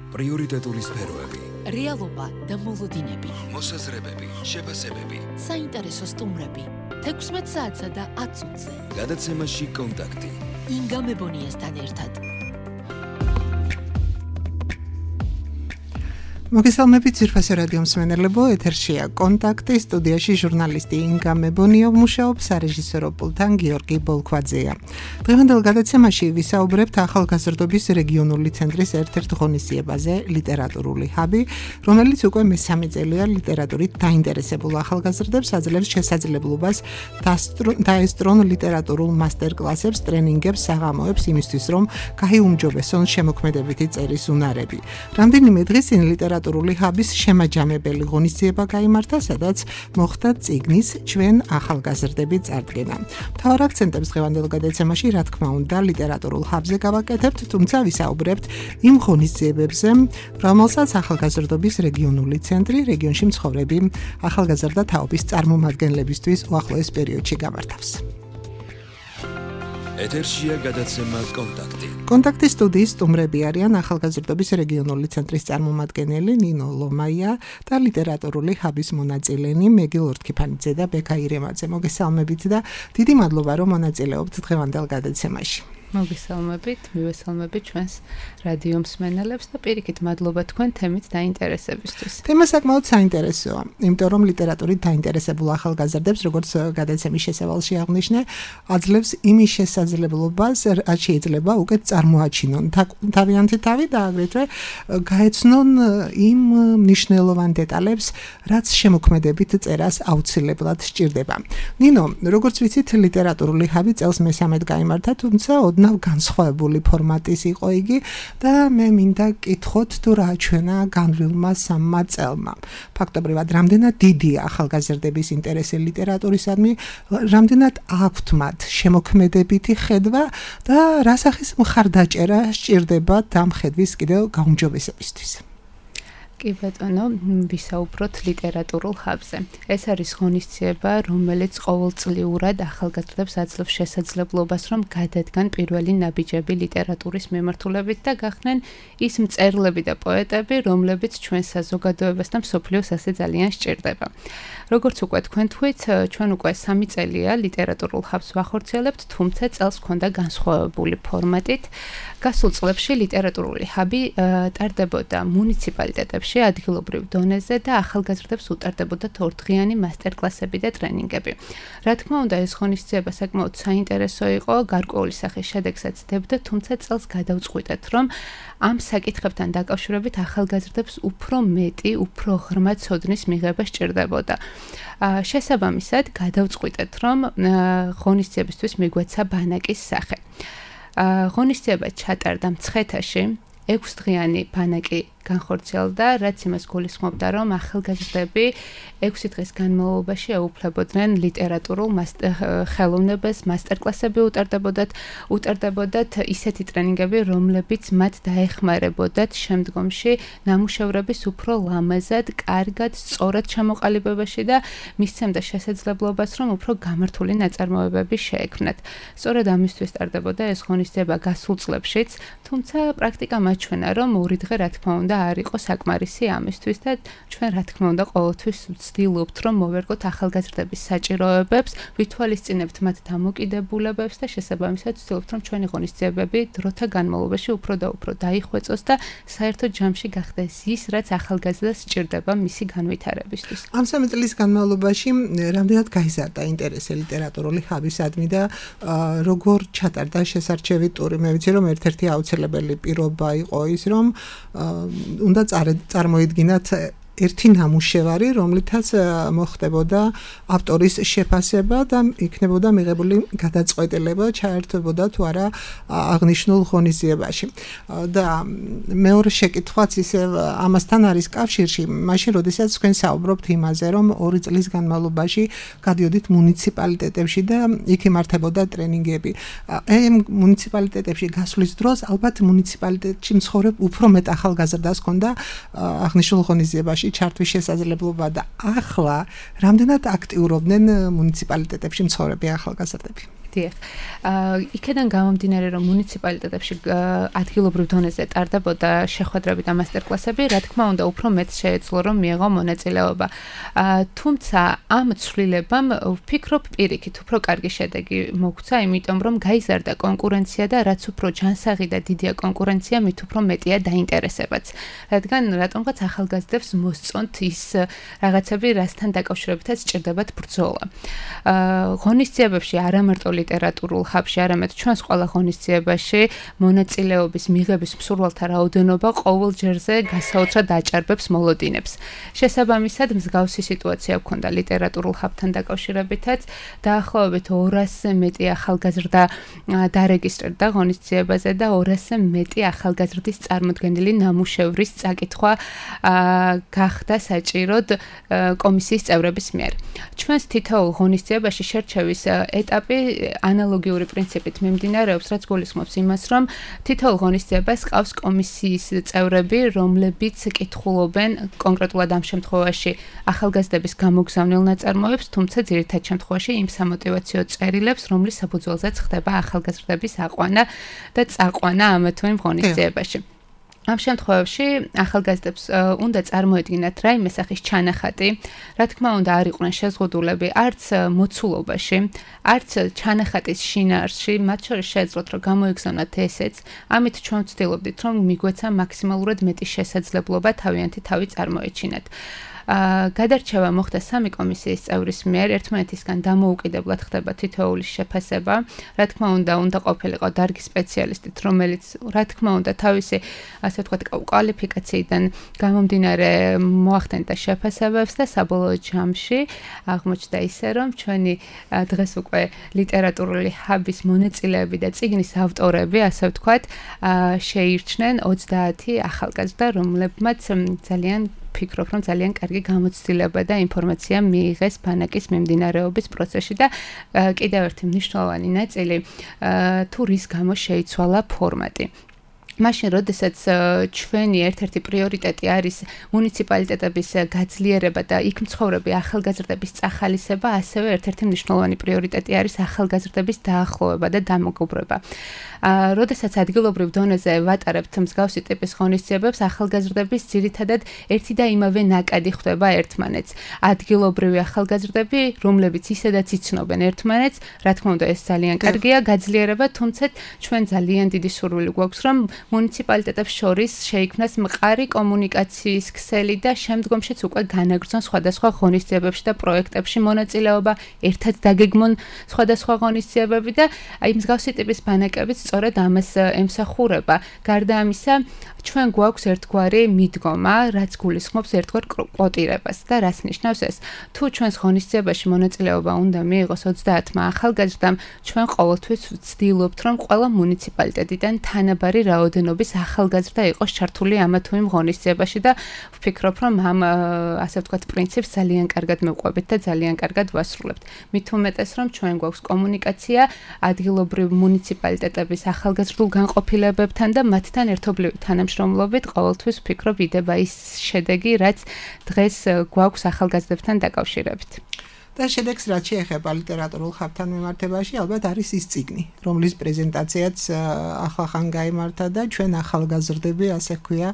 პრიორიტეტული სფეროები, რეალობა და მოლოდინები, მოსაზრებები, შეფასებები, საინტერესო სტუმრები, 16 საათსა და 10 წუთზე. გადაცემაში კონტაქტი. ინგა მებონიასთან ერთად. მოგესალმებით ძირფასი რადიო მსმენელებო, ეთერშია კონტაქტი, სტუდიაში ჟურნალისტი ინგა მებონია მუშაობს, სარეჟისორო პულტთან გიორგი ბოლქვაძეა. დღევანდელ გადაცემაში ვისაუბრებთ ახალგაზრდობის რეგიონული ცენტრის ერთ-ერთ ღონისძიებაზე, ლიტერატურული ჰაბი, რომელიც უკვე მესამე წელია ლიტერატურით დაინტერესებულ ახალგაზრდებს აძლევს შესაძლებლობას დაესწრონ ლიტერატურულ მასტერკლასებს, ტრენინგებს, საღამოებს იმისთვის, რომ გაიუმჯობესონ შემოქმედებითი წერის უნარები. რამდენიმე დღის წინ ლიტერატურული ჰაბის შემაჯამებელი ღონისძიება გაიმართა, სადაც მოხდა წიგნის ჩვენ ახალგაზრდები წარდგენა. მთავარ აქცენტებს დღევანდელ გადაცემაში, რა თქმა უნდა, ლიტერატურულ ჰაბზე გავაკეთებთ, თუმცა ვისაუბრებთ იმ ღონისძიებებზე, რომელსაც ახალგაზრდობის რეგიონული ცენტრი რეგიონში მცხოვრები ახალგაზრდა თაობის წარმომადგენლებისთვის უახლოეს პერიოდში გამართავს. ეთერშია გადაცემა კონტაქტი. კონტაქტის სტუდიის სტუმრები არიან ახალგაზრდობის რეგიონული ცენტრის წარმომადგენელი ნინო ლომაია და ლიტერატურული ჰაბის მონაწილენი მეგილ ორთქიფანიძე და ბექა ირემაძე. მოგესალმებით და დიდი მადლობა, რომ მონაწილეობთ დღევანდელ გადაცემაში. მოგესალმებით, მივესალმებით ჩვენს რადიო მსმენელებს და პირიქით მადლობა თქვენ თემით დაინტერესებისთვის. თემა საკმაოდ საინტერესოა, იმიტომ რომ ლიტერატურით დაინტერესებულ ახალგაზრდებს, როგორც გადაცემის შესავალში აღნიშნე, აძლევს იმის შესაძლებლობას, რაც შეიძლება უკეთ წარმოაჩინონ თავიანთი თავი და აგრეთვე გაეცნონ იმ მნიშვნელოვან დეტალებს, რაც შემოქმედებით წერას აუცილებლად სჭირდება. ნინო, როგორც ვიცით, ლიტერატურული ჰაბი წელს მესამედ გაიმართა, თუმცა ოდნავ განსხვავებული ფორმატის იყო იგი და მე მინდა კითხოთ თუ რა ჩვენა განვლილმა სამმა წელმა. ფაქტობრივად, რამდენად დიდია ახალგაზრდების ინტერესი ლიტერატურისადმი, რამდენად აქვთ მათ შემოქმედებითი ხედვა და რა სახის მხარდაჭერა სჭირდება ამ ხედვის კიდევ გაუმჯობესებისთვის. კი ბატონო, ვისაუბროთ ლიტერატურულ ჰაბზე. ეს არის ღონისძიება, რომელიც ყოველწლიურად ახალგაზრდებს აძლევს შესაძლებლობას, რომ გადადგან პირველი ნაბიჯები ლიტერატურის მიმართულებით და გახდნენ ის მწერლები და პოეტები, რომლებიც ჩვენ საზოგადოებას და მსოფლიოს ასე ძალიან სჭირდება. როგორც უკვე თქვენ თქვით, ჩვენ უკვე 3 წელია ლიტერატურულ ჰაბს ვახორციელებთ, თუმცა წელს ჰქონდა განსხვავებული ფორმატით. გასულ წლებში ლიტერატურული ჰაბი ტარდებოდა მუნიციპალიტეტებში, ადგილობრივ დონეზე და ახალგაზრდებს უტარდებოდათ ორდღიანი მასტერკლასები და ტრენინგები. რა თქმა უნდა, ეს ღონისძიება საკმაოდ საინტერესო იყო, გარკვეული სახის შედეგსაც დებდა, თუმცა წელს გადავწყვიტეთ, რომ ამ საკითხებთან დაკავშირებით ახალგაზრდებს უფრო მეტი, უფრო ღრმა ცოდნის მიღება სჭირდებოდა. შესაბამისად, გადავწყვიტეთ, რომ ღონისძიებისთვის მიგვეცა ბანაკის სახე. ღონისძიება ჩატარდა მცხეთაში, 6 დღიანი ბანაკი განხორციელდა, რაც იმას გულისხმობდა, რომ ახალგაზრდები 6 დღის განმავლობაში ეუფლებოდნენ ლიტერატურულ ხელოვნებას, მასტერკლასები უტარდებოდათ ისეთი ტრენინგები, რომლებიც მათ დაეხმარებოდათ შემდგომში ნამუშევრების უფრო ლამაზად, კარგად, სწორად ჩამოყალიბებაში და მისცემდა შესაძლებლობას, რომ უფრო გამართული ნაწარმოებები შეექმნათ. სწორედ ამისთვის ტარდებოდა ეს ღონისძიება გასულ წლებშიც, თუმცა პრაქტიკა მაჩვენა, რომ ორი დღე რა თქმა უნდა არ იყო საკმარისი ამისთვის და ჩვენ რა თქმა უნდა ყოველთვის ვცდილობთ, რომ მოვერგოთ ახალგაზრდების საჭიროებებს, ვითვალისწინებთ მათ დამოკიდებულებებს და შესაბამისად ვცდილობთ, რომ ჩვენი ღონისძიებები დროთა განმავლობაში უფრო და უფრო დაიხვეწოს და საერთოდ ჯამში გახდეს ის, რაც ახალგაზრდას სჭირდება მისი განვითარებისთვის. ამ 3 წლის განმავლობაში რამდენად გაიზარდა ინტერესი ლიტერატურული ჰაბისადმი და როგორ ჩატარდა შესარჩევი ტური? მე ვიცი, რომ ერთ-ერთი აუცილებელი პირობა იყო ის, რომ უნდა წარმოედგინათ ერთი ნამუშევარი, რომლითაც მოხდებოდა ავტორის შეფასება და იქნებოდა მიღებული გადაწყვეტილება, ჩაერთვებოდა თუ არა აღნიშნულ ღონისძიებაში. და მეორე შეკითხვაც ისევ ამასთან არის კავშირში, მაშინ როდესაც თქვენ საუბრობთ იმაზე, რომ 2 წლის განმავლობაში გადიოდით მუნიციპალიტეტებში და იქ იმართებოდა ტრენინგები. ამ მუნიციპალიტეტებში გასვლის დროს ალბათ მუნიციპალიტეტში მცხოვრებ უფრო მეტ ახალგაზრდას ჰქონდა აღნიშნულ ღონისძიებაში ჩართვის შესაძლებლობა და ახლა რამდენად აქტიურობდნენ მუნიციპალიტეტებში მცხოვრები ახალგაზრდები? დიახ. იქედან გამომდინარე, რომ მუნიციპალიტეტებში ადგილობრივ დონეზე ტარდებოდა შეხვედრები და მასტერკლასები, რა თქმა უნდა, უფრო მეტ შეეძლო, რომ მიეღო მონაწილეობა. თუმცა ამ ცვლილებამ ვფიქრობ პირიქით უფრო კარგი შედეგი მოგვცა, იმიტომ რომ გაიზარდა კონკურენცია და რაც უფრო ჯანსაღი და დიდია კონკურენცია, მით უფრო მეტია დაინტერესებაც. რადგან რატომღაც ახალგაზრდებს მოსწონთ ის რაღაცები, რასთან დაკავშირებითაც სჭირდებათ ბრძოლა. ღონისძიებებში არამარტო ლიტერატურულ ხაბში, არამედ ჩვენს ყველა ღონისძიებაში მონაწილეობის მიღების მსურველთა რაოდენობა ყოველ ჯერზე გასაოცრად აჭარბებს მოლოდინებს. შესაბამისად, მსგავსი სიტუაცია გვქონდა ლიტერატურულ ხაბთან დაკავშირებითაც, დაახლოებით 200-ზე მეტი ახალგაზრდა დარეგისტრირდა ღონისძიებაზე და 200-ზე მეტი ახალგაზრდის წარმოდგენილი ნამუშევრის წაკითხვა გახდა საჭიროდ კომისიის წევრების მიერ. ჩვენს თითოეულ ღონისძიებაში შერჩევის ეტაპი ანალოგიური პრინციპით მიმდინარეობს, რაც გულისხმობს იმას, რომ თითოეულ ღონისძიებას ყავს კომისიის წევრები, რომლებიც კითხულობენ კონკრეტულად ამ შემთხვევაში ახალგაზრდების გამოგზავნილ ნაწარმოებს, თუმცა ძირითად შემთხვევაში იმ სამოტივაციო წერილებს, რომლის საფუძველზეც ხდება ახალგაზრდების აყვანა და წაყვანა ამ თუ იმ ღონისძიებაში. ამ შემთხვევაში ახალგაზრდებს უნდა წარმოედგინათ რაიმე სახის ჩანახატი, რა თქმა უნდა არ იყვნენ შეზღუდულები არც მოცულობაში, არც ჩანახატის შინაარსში, მათ შორის შეეძლოთ რომ გამოიგზავნათ ესეც, ამით ჩვენ ვცდილობდით რომ მიგვეცა მაქსიმალურად მეტი შესაძლებლობა თავიანთი თავი წარმოეჩინათ. გადარჩევა მოხდა 3 კომისიის წევრის მიერ, ერთმანეთისგან დამოუკიდებლად ხდება თითოეული შეფასება. რა თქმა უნდა, უნდა ყოფილიყო დარგის სპეციალისტით, რომელიც რა თქმა უნდა თავისი, ასე ვთქვათ, კვალიფიკაციიდან გამომდინარე მოახდენდა შეფასებებს და საბოლოო ჯამში აღმოჩნდა ისე, რომ ჩვენი დღეს უკვე ლიტერატურული ჰაბის მონაწილეები და წიგნის ავტორები, ასე ვთქვათ, შეირჩნენ 30 ახალგაზრდა, რომლებმაც ძალიან ვფიქრობ, რომ ძალიან კარგი გამოცდილება და ინფორმაცია მიიღეს ბანაკის მიმდინარეობის პროცესში და კიდევ ერთი მნიშვნელოვანი ნაწილი თუ რის გამო შეიცვალა ფორმატი. მაშინ, როდესაც ჩვენი ერთ-ერთი პრიორიტეტი არის მუნიციპალიტეტების გაძლიერება და იქ მცხოვრები ახალგაზრდების წახალისება, ასევე ერთ-ერთი მნიშვნელოვანი პრიორიტეტი არის ახალგაზრდების დაახლოვება და დამეგობრება. როდესაც ადგილობრივ დონეზე ვატარებთ მსგავსი ტიპის ღონისძიებებს, ახალგაზრდების ძირითადად ერთი და იმავე ნაკადი ხვდება ერთმანეთს. ადგილობრივი ახალგაზრდები, რომლებიც ისედაც იცნობენ ერთმანეთს, რა თქმა უნდა, ეს ძალიან კარგია, გაძლიერება, თუმცა ჩვენ ძალიან დიდი სურვილი გვაქვს, რომ მუნიციპალიტეტებს შორის შეიქმნას მყარი კომუნიკაციის ქსელი და შემდგომშიც უკვე განაგრძონ სხვადასხვა ღონისძიებებში და პროექტებში მონაწილეობა, ერთად დაგეგმონ სხვადასხვა ღონისძიებები და აი მსგავსი ტიპის ბანაკებიც სწორედ ამას ემსახურება. გარდა ამისა, ჩვენ გვაქვს ერთგვარი მიდგომა, რაც გულისხმობს ერთგვარ კვოტირებას და რას ნიშნავს ეს? თუ ჩვენს ღონისძიებაში მონაწილეობა უნდა მიიღოს 30 ახალგაზრდამ, ჩვენ ყოველთვის ვცდილობთ, რომ ყველა მუნიციპალიტეტიდან თანაბარი რაოდენობის ახალგაზრდა იყოს ჩართული ამ თუ იმ ღონისძიებაში და ვფიქრობ, რომ ამ ასე ვთქვათ პრინციპს ძალიან კარგად მევყვებით და ძალიან კარგად ვასრულებთ. მით უმეტეს, რომ ჩვენ გვაქვს კომუნიკაცია ადგილობრივ მუნიციპალიტეტების ახალგაზრდულ განყოფილებებთან და მათთან ერთობლივი თანამშრომლობით ყოველთვის ვფიქრობ იდება ის შედეგი, რაც დღეს გვაქვს ახალგაზრდებთან დაკავშირებით. და შედეგს რაც შეეხება ლიტერატურულ ხაბთან მიმართებაში, ალბათ არის ის წიგნი, რომლის პრეზენტაციაც ახლახან გაიმართა და ჩვენ ახალგაზრდები, ასე ვქვია,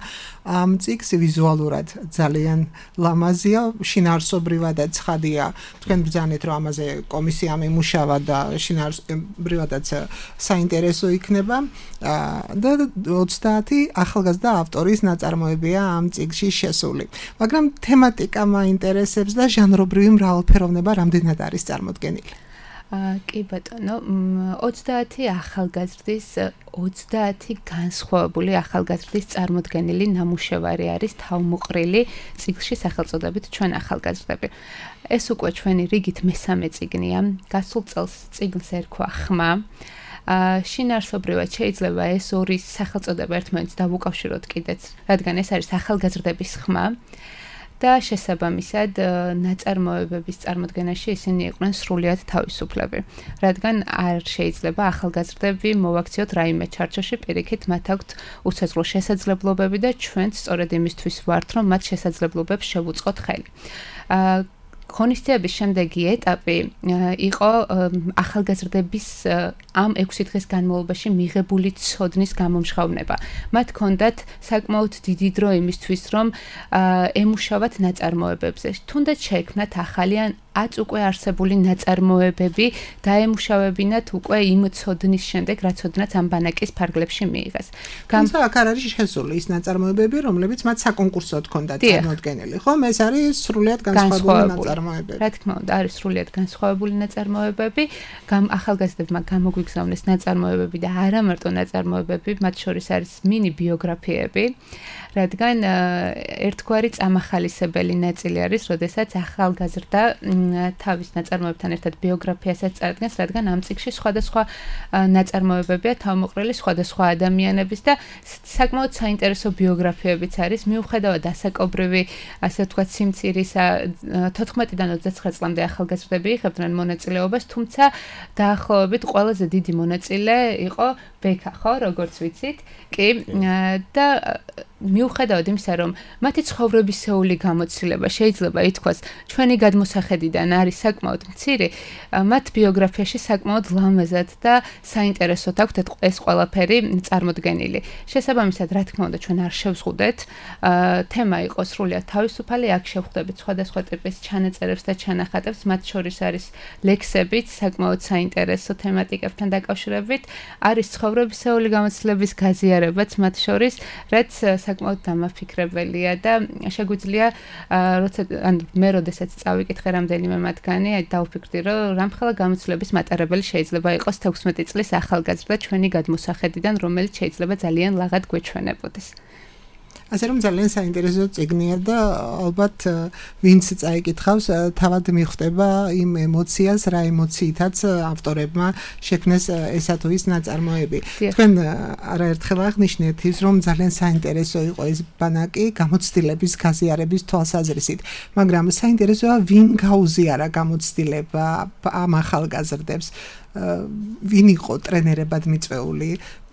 ამ წიგნს ვიზუალურად ძალიან ლამაზია, შინაარსობრივადაც ცხადია. თქვენ ბრძანეთ, რომ ამაზე კომისია მიმუშავა და შინაარსობრივადაც საინტერესო იქნება და 30 ახალგაზრდა ავტორის ნაწარმოებია ამ წიგნში შესული. მაგრამ თემატიკა მაინტერესებს და ჟანრობრივი მრავალფეროვნება რამდენად არის წარმოდგენილი? კი ბატონო, 30 ახალგაზრდის 30 განსხვავებული ახალგაზრდის წარმოდგენილი ნამუშევარი არის თავმოყრილი წიგნში სახელწოდებით ჩვენ ახალგაზრდები. ეს უკვე ჩვენი რიგით მესამე წიგნია. გასულ წელს წიგნს ერქვა ხმა. შინაარსობრივად შეიძლება ეს ორი სახელწოდება ერთმანეთს დავუკავშიროთ კიდეც, რადგან ეს არის ახალგაზრდების ხმა. და შესაბამისად ნაწარმოებების წარმოდგენაში ისინი იყვნენ სრულიად თავისუფლები, რადგან არ შეიძლება ახალგაზრდები მოვაქციოთ რაიმე ჩარჩოში, პირიქით მათ აქვთ უსაზღვრო შესაძლებლობები და ჩვენც სწორედ იმისთვის ვართ, რომ მათ შესაძლებლობებს შევუწყოთ ხელი. ღონისძიების შემდეგი ეტაპი იყო ახალგაზრდების ამ 6 დღის განმავლობაში მიღებული ცოდნის გამომჟღავნება. მათ ჰქონდათ საკმაოდ დიდი დრო იმისთვის, რომ ემუშავათ ნაწარმოებებზე. თუნდაც შეექმნათ ახალი ან აც უკვე არსებული ნაწარმოებები დაემუშავებინათ უკვე იმ ცოდნის შემდეგ, რაც ოდნაც ამ ბანაკის ფარგლებში მიიღეს. თუმცა აქ არ არის შესული ის ნაწარმოებები, რომლებიც მათ საკონკურსოდ ჰქონდათ წარმოდგენილი, ხო? ეს არის სრულიად განსხვავებული ნაწარმოებები. რა თქმა უნდა, არის სრულიად განსხვავებული ნაწარმოებები. ახალგაზრდებმა გამოგვიგზავნეს ნაწარმოებები და არა მარტო ნაწარმოებები, მათ შორის არის მინი ბიოგრაფიები. რადგან ერთგვარი წამახალისებელი ნაწილი არის, როდესაც ახალგაზრდა თავის ნაწარმოებთან ერთად ბიოგრაფიასაც წარადგენს, რადგან ამ წიგნში სხვადასხვა ნაწარმოებებია თავმოყრილი სხვადასხვა ადამიანების და საკმაოდ საინტერესო ბიოგრაფიებიც არის, მიუხედავად ასაკობრივი, ასე ვთქვათ, სიმცირისა 14-დან 29 წლამდე ახალგაზრდები იღებდნენ მონაწილეობას, თუმცა დაახლოებით ყველაზე დიდი მონაწილე იყო ბექა, ხო, როგორც ვიცით, კი, და მიუხედავად იმისა, რომ მათი ცხოვრებისეული გამოცდილება შეიძლება ითქვას, ჩვენი გადმოსახედიდან არის საკმაოდ მცირე, მათ ბიოგრაფიაში საკმაოდ ლამაზად და საინტერესოდ აქვთ ეს ყველაფერი წარმოდგენილი. შესაბამისად, რა თქმა უნდა, ჩვენ არ შევზღუდეთ, თემა იყო სრულიად თავისუფალი, აქ შევხვდებით სხვადასხვა ტიპის ჩანაწერებს და ჩანახატებს, მათ შორის არის ლექსებიც, საკმაოდ საინტერესო თემატიკებთან დაკავშირებით, არის ცხოვრებისეული გამოცდილების გაზიარებაც მათ შორის, რაც საკმაოდ დამაფიქრებელია და შეგვიძლია მე როდესაც წავიკითხე რამდენიმე მათგანი, დავფიქრდი, რომ რამხელა გამოცდილების მატარებელი შეიძლება იყოს 16 წლის ახალგაზრდა ჩვენი გადმოსახედიდან, რომელიც შეიძლება ძალიან ლაღად გვეჩვენებოდეს. ასე რომ ძალიან საინტერესო წიგნია და ალბათ ვინც წაიკითხავს, თავად მიხვდება იმ ემოციას, რა ემოციითაც ავტორებმა შექმნეს ესა თუ ის ნაწარმოები. თქვენ არაერთხელ აღნიშნეთ ის, რომ ძალიან საინტერესო იყო ეს ბანაკი გამოცდილების გაზიარების თვალსაზრისით, მაგრამ საინტერესოა ვინ გაუზიარა გამოცდილება ამ ახალგაზრდებს, ვინ იყო ტრენერებად მიწვეული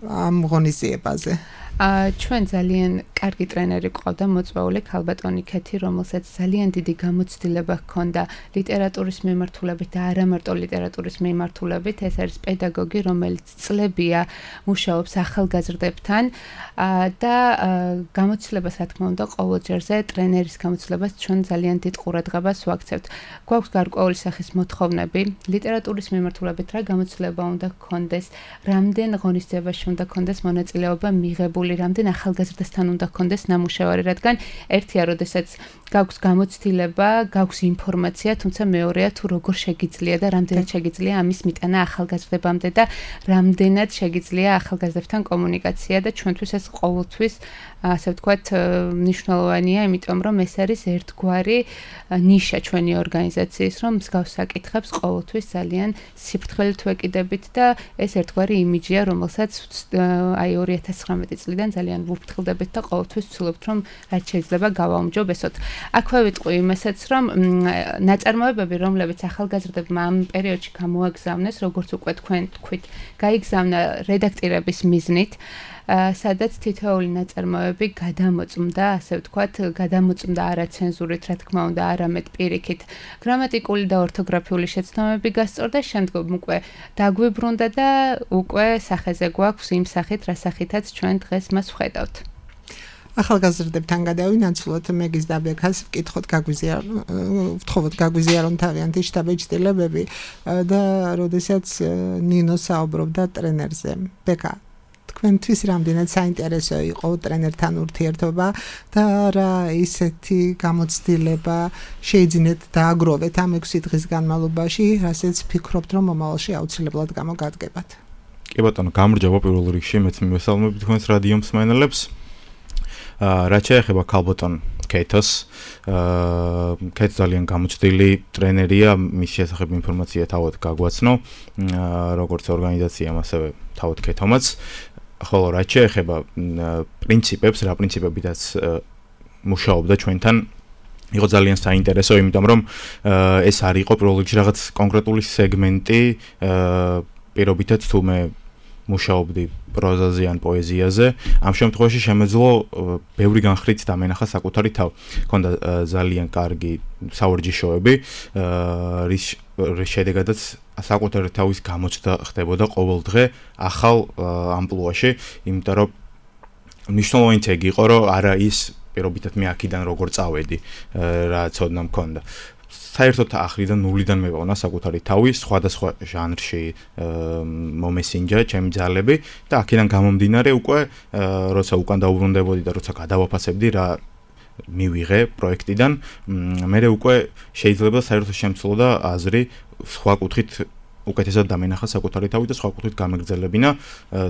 ამ ღონისძიებაზე? ჩვენ ძალიან კარგი ტრენერი ყავდა მოწვეული ქალბატონი ქეთი, რომელსაც ძალიან დიდი გამოცდილება ჰქონდა ლიტერატურის მიმართულებით და არა მარტო ლიტერატურის მიმართულებით. ეს არის პედაგოგი, რომელიც წლებია მუშაობს ახალგაზრდებთან და გამოცდილებას, რა თქმა უნდა, ყოველჯერზე ტრენერის გამოცდილებას ჩვენ ძალიან დიდ ყურადღებას ვაქცევთ. გვაქვს გარკვეული სახის მოთხოვნები ლიტერატურის მიმართულებით, რა გამოცდილება უნდა ჰქონდეს, რამდენ ღონისძიებაში უნდა ჰქონდეს მონაწილეობა მიღებული, რამდენ ახალგაზრდასთან უნდა ჰქონდეს ნამუშევარი, რადგან ერთია, როდესაც გაქვს გამოცდილება, გაქვს ინფორმაცია, თუმცა მეორეა თუ როგორ შეგიძლია და რამდენად შეგიძლია ამის მიტანა ახალგაზრდებამდე და რამდენად შეგიძლია ახალგაზრდებთან კომუნიკაცია და ჩვენთვის ეს ყოველთვის ასე ვთქვათ მნიშვნელოვანია, იმიტომ რომ ეს არის ერთგვარი ნიშა ჩვენი ორგანიზაციის, რომ მსგავს საკითხებს ყოველთვის ძალიან სიფრთხილით ვეკიდებით და ეს ერთგვარი იმიჯია, რომელსაც აი 2019 წლიდან ძალიან ვუფრთხილდებით და ყოველთვის ვცდილობთ, რომ რაც შეიძლება გავაუმჯობესოთ. აქვე ვიტყვი იმასაც, რომ ნაწარმოებები, რომლებიც ახალგაზრდებმა ამ პერიოდში გამოაგზავნეს, როგორც უკვე თქვენ თქვით, გაიგზავნა რედაქტირების მიზნით, სადაც თითოეული ნაწარმოები გადამოწმდა, ასე ვთქვათ, გადამოწმდა არა ცენზურით, რა თქმა უნდა, არამედ პირიქით. გრამატიკული და ორთოგრაფიული შეცდომები გასწორდა, შემდგომ უკვე დაგვიბრუნდა და უკვე სახეზე გვაქვს იმ სახით, რა სახითაც ჩვენ დღეს მას ვხედავთ. ახალგაზრდებთან გადავინაცვლოთ, მეგის და ბექას ვკითხოთ, ვთხოვოთ გაგვიზიარონ თავიანთი შტაბ-ეჭდილებები და როდესაც ნინო საუბრობდა ტრენერზე. ბექა, თქვენთვის რამდენად საინტერესო იყო ტრენერთან ურთიერთობა და რა ისეთი გამოცდილება შეიძინეთ დააგროვეთ ამ 6 დღის განმავლობაში, რასაც ფიქრობთ, რომ მომავალში აუცილებლად გამოგადგებათ? კი ბატონო, გამარჯობა პირველ რიგში, მეც მივესალმები თქვენს რადიო მსმენელებს. რაც შეეხება ქალბატონ ქეთოს, ქეთ ძალიან გამოცდილი ტრენერია, მის შესახებ ინფორმაცია თავად გაგვაცნო, როგორც ორგანიზაციამ, ასევე თავად ქეთომაც. ხოლო რაც შეეხება პრინციპებს, რა პრინციპებითაც მუშაობდა ჩვენთან, იყო ძალიან საინტერესო, იმიტომ რომ ეს არ იყო პირველ რიგში რაღაც კონკრეტული სეგმენტი, პირობითაც თუ მე მუშაობდი პროზაზე ან პოეზიაზე, ამ შემთხვევაში შემეძლო ბევრი განხრით დამენახა საკუთარი თავი. მქონდა ძალიან კარგი საორჯიშოები, რის შედეგადაც საკუთარი თავის გამოჩნდა ხდებოდა ყოველ დღე ახალ ამპლუაში, იმიტომ რომ მნიშვნელოვანი თეგი იყო, რომ არა ის პირობითად მე აქედან როგორ წავედი, რა ცოდნა მქონდა. საერთოდ ახრიდან ნულიდან მევავნა საკუთარი თავი, სხვადასხვა ჟანრში მომესინჯა ჩემი ძალები და აქედან გამომდინარე უკვე როცა უკან დაუბრუნდებოდი და როცა გადავაფასებდი რა მივიღე პროექტიდან, მე უკვე შეიძლება საერთოდ შემცლოდა აზრი სხვა კუთხით უკეთესად დამენახა საკუთარი თავი და სხვა კუთხით გამეგრძელებინა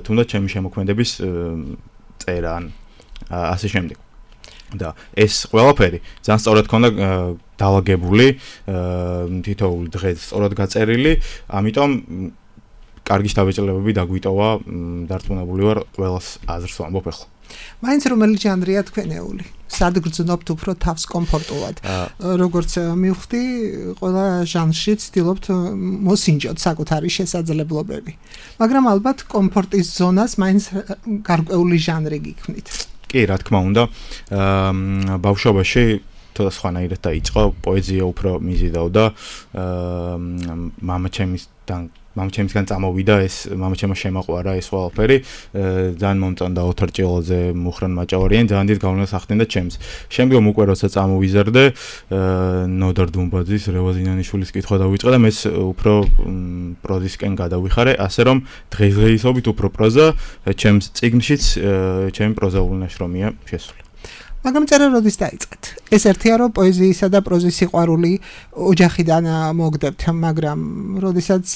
თუნდაც ჩემი შემოქმედების წერა ან ასე შემდეგ. და ეს ყველაფერი ძალიან სწორად ქონდა დაალაგებული, თითოეული დღე სწორად გაწერილი, ამიტომ კარგი შთაბეჭდილებები დაგვიტოვა, დარწმუნებული ვარ ყველას აზრს ვამბობ ახლა. მაინც რომელი ჟანრია თქვენეული? სად გრძნობთ უფრო თავს კომფორტულად? როგორც მივხვდი, ყველა ჟანრში ცდილობთ მოსინჯოთ საკუთარი შესაძლებლობები. მაგრამ ალბათ კომფორტის ზონას მაინც გარკვეული ჟანრი გიქმნით. კი, რა თქმა უნდა, ბავშვობაში სხვანაირად დაიწყო, პოეზია უფრო მიზიდავდა, მამაჩემისგან წამოვიდა ეს, მამაჩემმა შემაყვარა ეს ყველაფერი, ძალიან მომწონდა ოთარ ჭილაძე, მუხრან მაჭავარიანი, ძალიან დიდ გავლენას ახდენდა ჩემს. შემდგომ უკვე როცა წამოვიზარდე, ნოდარ დუმბაძის, რევაზ ინანიშვილის კითხვა დავიწყე და მეც უფრო პროზისკენ გადავიხარე, ასე რომ დღესდღეობით უფრო პროზა ჩემს წიგნშიც ჩემი პროზაული ნაშრომია შესული. მაგრამ წერა როდის დაიწყეთ? ეს ერთია რომ პოეზიისა და პროზის სიყვარული ოჯახიდან მოგდებთ, მაგრამ როდესაც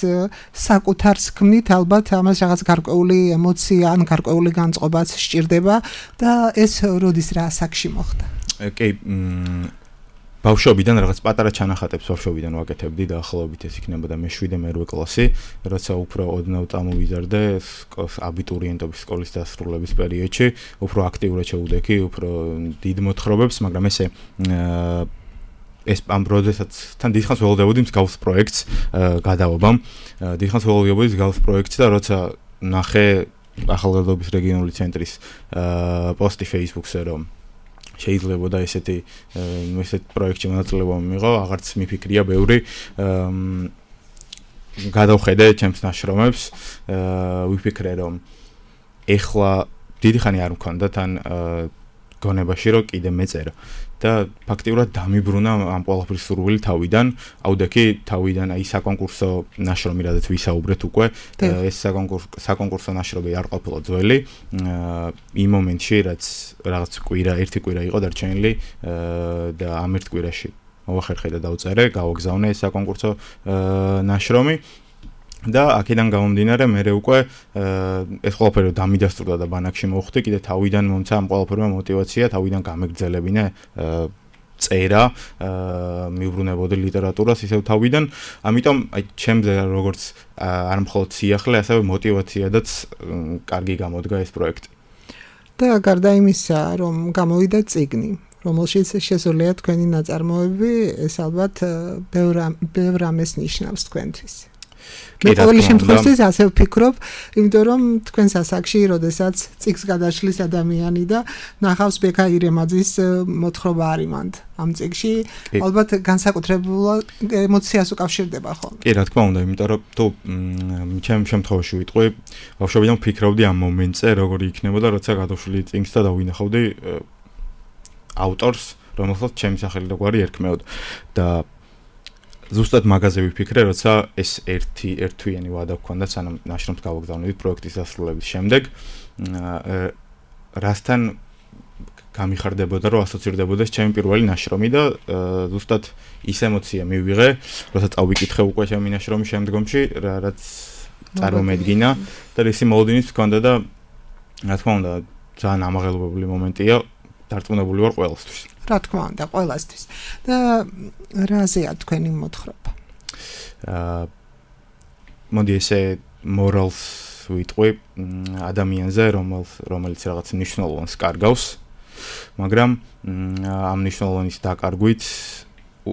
საკუთარს ქმნით, ალბათ ამას რაღაც გარკვეული ემოცია ან გარკვეული განწყობაც სჭირდება და ეს როდის რა ასაკში მოხდა? კი, ბავშვობიდან რაღაც პატარა ჩანახატებს ბავშვობიდან ვაკეთებდი და ახლობით ეს იქნებოდა მე-7 მე-8 კლასი, როცა უფრო ოდნავ წამოვიზარდე აბიტურიენტობის სკოლის დასრულების პერიოდში, უფრო აქტიურად შევუდექი, უფრო დიდ მოთხრობებს, მაგრამ ეს ამ პროცესაც თან დიდხანს ველოდებოდი მსგავს პროექტს გადავობამ, დიდხანს ველოდებოდი მსგავს პროექტს და როცა ნახე ახალგაზრდობის რეგიონული ცენტრის პოსტი Facebook-ზე, რომ შეიძლება და ესეთ პროექტში მონაწილეობა მიიღო, აღარც მიფიქრია ბევრი, გადავხედე ჩემს ნაშრომებს, ვიფიქრე რომ ეხლა დიდი ხანი არ მქონდა თან გონებაში რომ კიდე მეწერა და ფაქტიურად დამიბრუნა ამ ყველაფრის სურვილი თავიდან, აუდექი თავიდან აი საკონკურსო ნაშრომი რადგან ვისაუბრეთ უკვე, ეს საკონკურსო ნაშრომი არ ყოფილა ძველი, იმ მომენტში რაც რაღაც ერთი კვირა იყო დარჩენილი და ამ ერთ კვირაში მოვახერხე და დავწერე, გავაგზავნე ეს საკონკურსო ნაშრომი და აქედან გამომდინარე მე უკვე ეს ყველაფერი დამიდასტურდა და ბანაკში მოვხვდი, კიდე თავიდან მომცა ამ ყველაფერმა мотиваცია, თავიდან გამეგრძელებინა წერა, მივბრუნებოდი ლიტერატურას ისევ თავიდან, ამიტომ აი ჩემზე როგორც არ მხოლოდ სიახლე, ასევე мотиваციადაც კარგი გამოდგა ეს პროექტი. და გარდა იმისა, რომ გამოვიდა წიგნი, რომელშიც შესულია თქვენი ნაწარმოები, ეს ალბათ ბევრ ამას ნიშნავს თქვენთვის. მე ყოველი შემთხვევაში ასე ვფიქრობ, იმიტომ რომ თქვენს ასაკში, როდესაც წიგნს გადაშლის ადამიანი და ნახავს ბექა ირემაძის მოთხრობა არიმანდ ამ წიგნში, ალბათ განსაკუთრებულ ემოციას უკავშირდება ხოლმე. კი, რა თქმა უნდა, იმიტომ რომ თუ ჩემ შემთხვევაში ვიტყვი, ბავშვობიდან ვფიქრობდი ამ მომენტზე, როგორი იქნებოდა, როცა გადავშლი წიგნს და დავინახავდი ავტორს, რომელსაც ჩემი სახელი და გვარი ერქმეოდა და ზუსტად მაგაზე ვიფიქრე, როცა ეს ერთთვიანი ვადა გქონდა, სანამ ნაშრომს გავაგზავნებდი პროექტის დასრულების შემდეგ, რასთან გამიხარდებოდა, რომ ასოცირდებოდა ჩემი პირველი ნაშრომი და ზუსტად ის ემოცია მივიღე, როცა წავიკითხე უკვე ჩემი ნაშრომის შემდგომში, რაც წარმომედგინა და ისი მოლოდინიც გქონდა და რა თქმა უნდა, ძალიან ამაღელვებული მომენტია, დარწმუნებული ვარ ყველასთვის. რა თქმა უნდა, ყველასთვის. და რაზეა თქვენი მოთხრობა? მოდი ესე morals ვიტყვი ადამიანზე, რომელიც რაღაც მნიშვნელოვანს კარგავს, მაგრამ ამ მნიშვნელოვანის დაკარგვით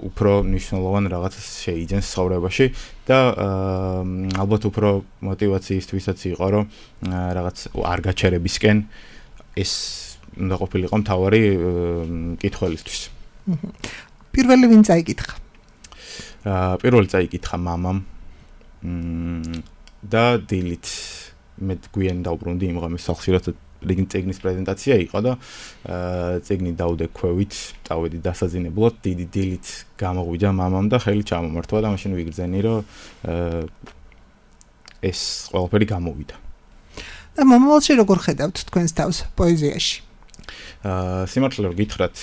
უფრო მნიშვნელოვან რაღაცას შეიძენს ცხოვრებაში და ალბათ უფრო мотиваციისთვისაც იყო რომ რაღაც არ გაჩერებისკენ ეს უნდა ყოფილიყო მთავარი კითხველისთვის. პირველი ვინ წაიკითხა? პირველი წაიკითხა მამამ და დილით მე გვიან დავბრუნდი იმ ღამეს სახლში რათა წიგნის პრეზენტაცია იყო და წიგნი დავდე ქვევით, წავედი დასაძინებლად, დიდი დილით გამოგვიდა მამამ და ხელი ჩამომართვა და მაშინ ვიგრძენი რომ ეს ყველაფერი გამოვიდა. და მომავალში როგორ ხედავთ თქვენს თავს პოეზიაში? სიმართლე რომ გითხრათ,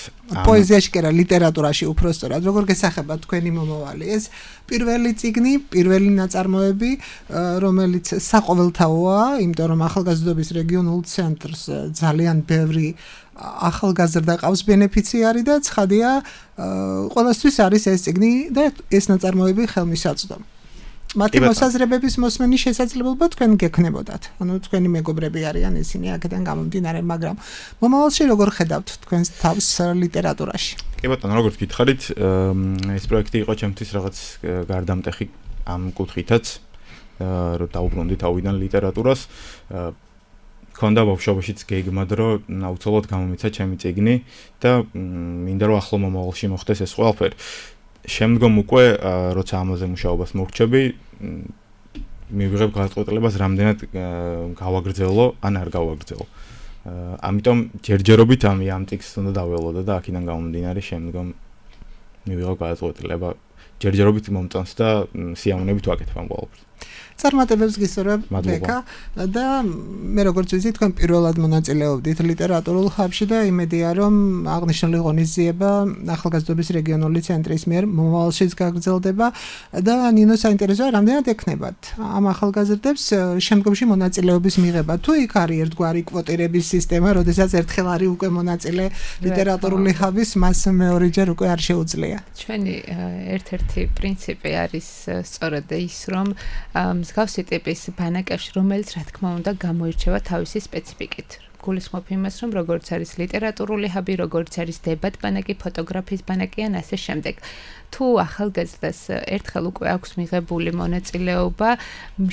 პოეზიაში კი არა, ლიტერატურაში უფრო სწორად, როგორ გესახებათ თქვენი მომავალი? ეს პირველი წიგნი, პირველი ნაწარმოები, რომელიც საყოველთაოა, იმიტომ რომ ახალგაზრდობის რეგიონულ ცენტრს ძალიან ბევრი ახალგაზრდა ყავს ბენეფიციარი და ცხადია, ყველასთვის არის ეს წიგნი და ეს ნაწარმოები ხელმისაწვდომი. მათი მოსაზრებების მოსმენის შესაძლებლობა თქვენ გექნებოდათ. ანუ თქვენი მეგობრები არიან ისინი აქედან გამომდინარე, მაგრამ მომავალში როგორ ხედავთ თქვენს თავს ლიტერატურაში? კი ბატონო, როგორც გითხარით, ეს პროექტი იყო ჩემთვის რაღაც გარდამტეხი ამ კუთხითაც, რომ დავუბრუნდი თავიდან ლიტერატურას. ქონდა ბავშვობაშიც გეგმად, რომ აუცილებლად გამომეცა ჩემი წიგნი და მინდა რომ ახლო მომავალში მოხდეს ეს ყველაფერი. შემდგომ უკვე როცა ამაზე მუშაობას მორჩები, მივიღებ გადაწყვეტილებას რამდენად გავაგრძელო ან არ გავაგრძელო. ამიტომ ჯერჯერობით ამ ტექსტს უნდა დაველოდო და აქედან გამომდინარე შემდგომ მივიღებ გადაწყვეტილება ჯერჯერობით მომწონს და სიამოვნებით ვაკეთებ ამ ყველაფერს. წარმატებებს გისურვებ ბეკა და მე როგორც ვიცი თქვენ პირველად მონაწილეობდით ლიტერატურულ ხაბში და იმედია რომ აღნიშნული ღონისძიება ახალგაზრდობის რეგიონული ცენტრის მიერ მომავალშიც გაგრძელდება და ნინო საინტერესოა რამდენად ექნებათ ამ ახალგაზრდებს შემდგომში მონაწილეობის მიღება თუ იქ არის ერთგვარი კვოტირების სისტემა როდესაც ერთხელ არის უკვე მონაწილე ლიტერატურული ხაბის მას მეორეჯერ უკვე არ შეუძლია ჩვენი ერთ-ერთი პრინციპი არის სწორედ ის რომ მსგავსი ტიპის ბანაკებში, რომელიც რა თქმა უნდა გამოირჩევა თავისი სპეციფიკით. გულისხმობ იმას, რომ როგორც არის ლიტერატურული ჰაბი, როგორც არის დებატ ბანაკი, ფოტოგრაფიის ბანაკი ან ასე შემდეგ. თუ ახალგაზრდას ერთხელ უკვე აქვს მიღებული მონაწილეობა,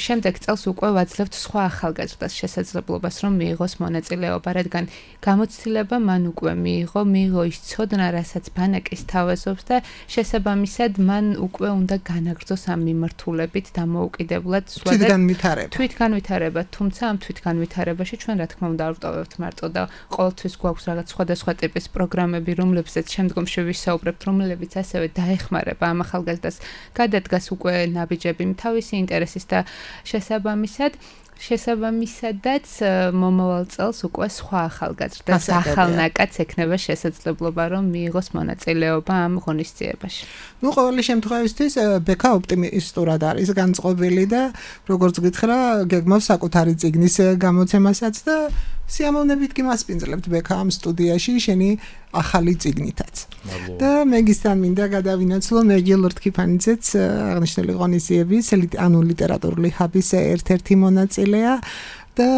შემდეგ წელს უკვე ვაძლევთ სხვა ახალგაზრდას შესაძლებლობას, რომ მიიღოს მონაწილეობა, რადგან გამოცდილება მან უკვე მიიღო ის ცოდნა, რასაც ბანაკი სთავაზობს და შესაბამისად მან უკვე უნდა განაგრძოს ამ მიმართულებით დამოუკიდებლად თვითგანვითარება, თუმცა ამ თვითგანვითარებაში ჩვენ რა თქმა უნდა არ ვტოვებთ მარტო და ყოველთვის გვაქვს რაღაც სხვადასხვა ტიპის პროგრამები, რომლებზეც შემდგომში ვისაუბრებთ, რომლებიც ასევე დაეხმარება ამ ახალგაზრდას გადადგას უკვე ნაბიჯები თავისი ინტერესის და შესაბამისადაც მომავალ წელს უკვე სხვა ახალგაზრდას ახალნაკაც ექნება შესაძლებლობა რომ მიიღოს მონაწილეობა ამ ღონისძიებაში. ნუ ყოველი შემთხვევისთვის ბეკა ოპტიმისტურად არის განწყობილი და როგორც გითხრა გეგმავს საკუთარი წიგნის გამოცემასაც და სიამოვნებით კი მასპინძლებთ ბეკა ამ სტუდიაში შენი ახალი წიგნითაც. და მეგისთან მინდა გადავინაცვლო მეგილ რთქიფანიძეც აღნიშნული ღონისძიების ანუ ლიტერატურული ჰაბის ერთ-ერთი მონაწილეა და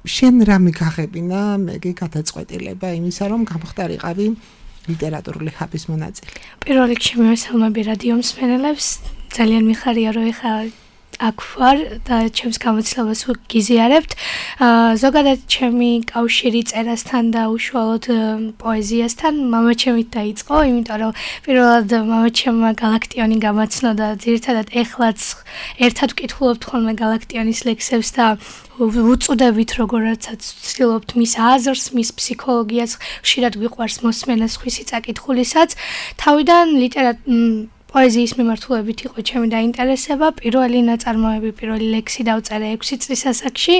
შენ რა მიგაღებინა მეგი გადაწყვეტილება იმისა რომ გამხდარიყავი ლიტერატურული ჰაბის მონაწილე. პირველ რიგში მივესალმები რადიო მსმენელებს, ძალიან მიხარია რომ ეხა აქ ვარ და ჩემს გამოცდილებას გიზიარებთ. ზოგადად ჩემი კავშირი წერასთან და უშუალოდ პოეზიასთან მამაჩემით დაიწყო, იმიტომ რომ პირველად მამაჩემმა გალაქტიონი გამაცნო და ძირითადად ეხლაც ერთად ვკითხულობთ ხოლმე გალაქტიონის ლექსებს და უწუდებით როგორცაც ვცდილობთ მის აზრს, მის ფსიქოლოგიას, ხშირად გვიყვარს მოსმენა სხვისი წაკითხuliსაც. თავიდან პოეზიის მიმართულებით იყო ჩემი დაინტერესება. პირველი ნაწარმოები, პირველი ლექსი დავწერე 6 წლის ასაკში.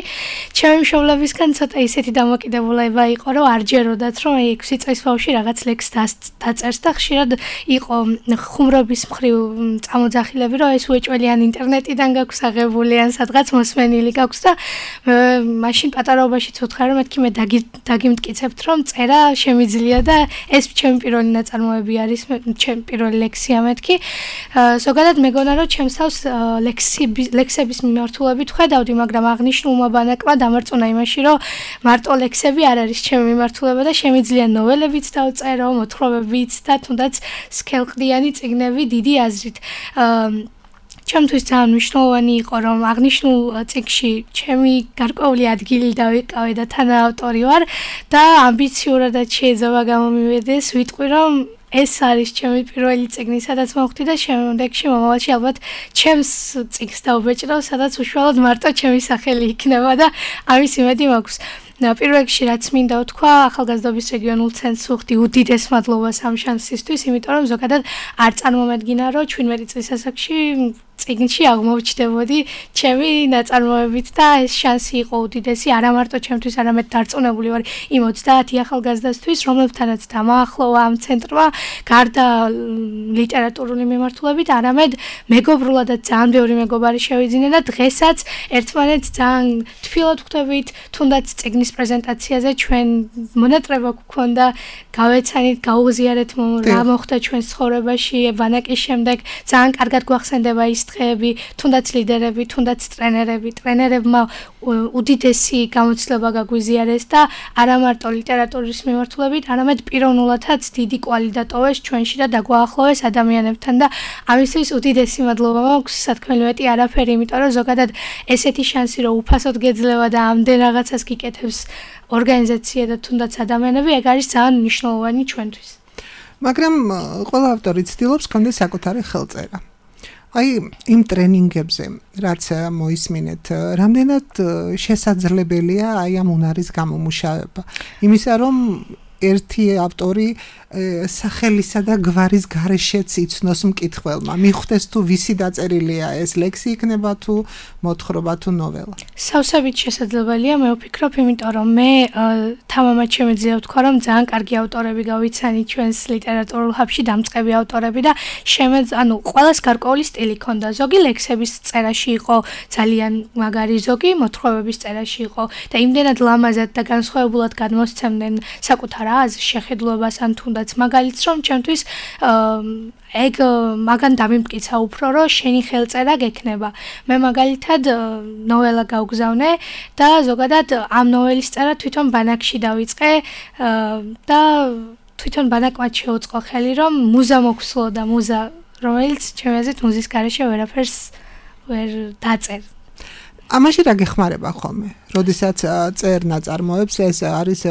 ჩემი მშობლებისგან ცოტა ისეთი დამოკიდებულება იყო, რომ არ ჯეროდათ, რომ 6 წლის ბავშვი რაღაც ლექსს დაწერს და ხშირად იყო ხუმრობის მხრივ წამოძახილები, რომ ეს უეჭველიან ინტერნეტიდან გაქვს აღებული ან სადღაც მოსმენილი გაქვს და მაშინ პატარაობაშიც ვთქარი, რომ მეთქი მე დაგიმტკიცებთ, რომ წერა შემიძლია და ეს ჩემი პირველი ნაწარმოები არის, ჩემი პირველი ლექსია მეთქი. ზოგადად მეგონა რომ ჩემს თავს ლექსების მიმართულებით ხედავდი, მაგრამ აღნიშნულმა ბანაკმა დამარწმუნა იმაში, რომ მარტო ლექსები არ არის ჩემი მიმართულება და შემიძლია ნოველებიც დავწერო, მოთხრობებიც და თუნდაც სქელყდიანი წიგნები დიდი აზრით. ჩემთვის ძალიან მნიშვნელოვანი იყო, რომ აღნიშნულ წიგნში ჩემი გარკვეული ადგილი დავიკავე და თანაავტორი ვარ და ამბიციურადაც შეიძლება გამომივიდეს, ვიტყვი რომ ეს არის ჩემი პირველი წიგნი, სადაც მოვხდი და შემდეგში მომავალში ალბათ ჩემს წიგნს დავბეჭდავ, სადაც უშუალოდ მარტო ჩემი სახელი იქნება და ამის იმედი მაქვს. პირველ რიგში რაც მინდა ვთქვა, ახალგაზრდობის რეგიონულ ცენტრს ვუხდი უდიდეს მადლობას ამ შანსისთვის, იმიტომ რომ ზოგადად არ წარმომედგინა, რომ 17 წლის ასაკში წიგნში აღმოჩნდებოდი ჩემი ნაწარმოებით და ეს შანსი იყო უდიდესი, არა მარტო ჩემთვის, არამედ დარწმუნებული ვარ იმ 30 ახალგაზრდასთვის, რომლებთანაც დამაახლოვა ამ ცენტრმა, გარდა ლიტერატურული მიმართულებით, არამედ მეგობრულადაც ძალიან ბევრი მეგობარი შევიძინა და დღესაც ერთმანეთს ძალიან თბილად ვხვდებით, თუნდაც წიგნის პრეზენტაციაზე ჩვენ მონატრება გვქონდა, გავეცანით, გაუღზიარეთ რა მოხდა ჩვენს ცხოვრებაში, ბანაკის შემდეგ, ძალიან კარგად გვახსენდება ის დღეები, თუნდაც ლიდერები, თუნდაც ტრენერებმა უდიდესი გამოცდილება გაგვიზიარეს და არა მარტო ლიტერატურის მიმართულებით, არამედ პიროვნულადაც დიდი კვალი დატოვეს ჩვენში და დაგვაახლოვეს ადამიანებთან და ამისთვის უდიდესი მადლობა მაქვს, სათქმელი მეტი არაფერი, იმიტომ რომ ზოგადად ესეთი შანსი რომ უფასოდ გეძლევა და ამდენ რაღაცას გიკეთებს ორგანიზაცია და თუნდაც ადამიანები, ეგ არის ძალიან მნიშვნელოვანი ჩვენთვის. მაგრამ ყველა ავტორი ცდილობს კონდეს საკუთარი ხელწერა. აი იმ ტრენინგებზე, რაც მოისმინეთ, რამდენად შესაძლებელია აი ამ უნარის გამომუშავება. იმისა, რომ ერთი ავტორი სახელისა და გვარის გარეშეც იცნოს მკითხველმა. მიხვდეს თუ ვისი დაწერილია ეს ლექსი იქნება თუ მოთხრობა თუ ნოველა. სავსებით შესაძლებელია, მე ვფიქრობ, იმიტომ რომ მე თამამად შემიძლია ვთქვა, რომ ძალიან კარგი ავტორები გავიცანი ჩვენს ლიტერატურულ ჰაბში, დამწყები ავტორები და ანუ ყველას გარკვეული სტილი ჰქონდა. ზოგი ლექსების წერაში იყო ძალიან მაგარი, ზოგი მოთხრობების წერაში იყო და იმდენად ლამაზად და განსხვავებულად გადმოსცემდნენ საკუთარ აზრს, შეხედულებას ან თუნდაც მაგალითს, რომ ჩემთვის ეგ მაგან დამიმტკიცა უფრო, რომ შენი ხელწერა გექნება. მე მაგალითად ნოველა გავგზავნე და ზოგადად ამ ნოველის წერა თვითონ ბანაკში დავიწყე და თვითონ ბანაკმა შეუწყო ხელი, რომ მუზა მოგვსულო და მუზა, რომელიც ჩემი აზრით მუზის გარეშე ვერაფერს ვერ დაწერ. ამაში რა გეხმარება ხოლმე? როდესაც წერ ნაწარმოებს, ეს არის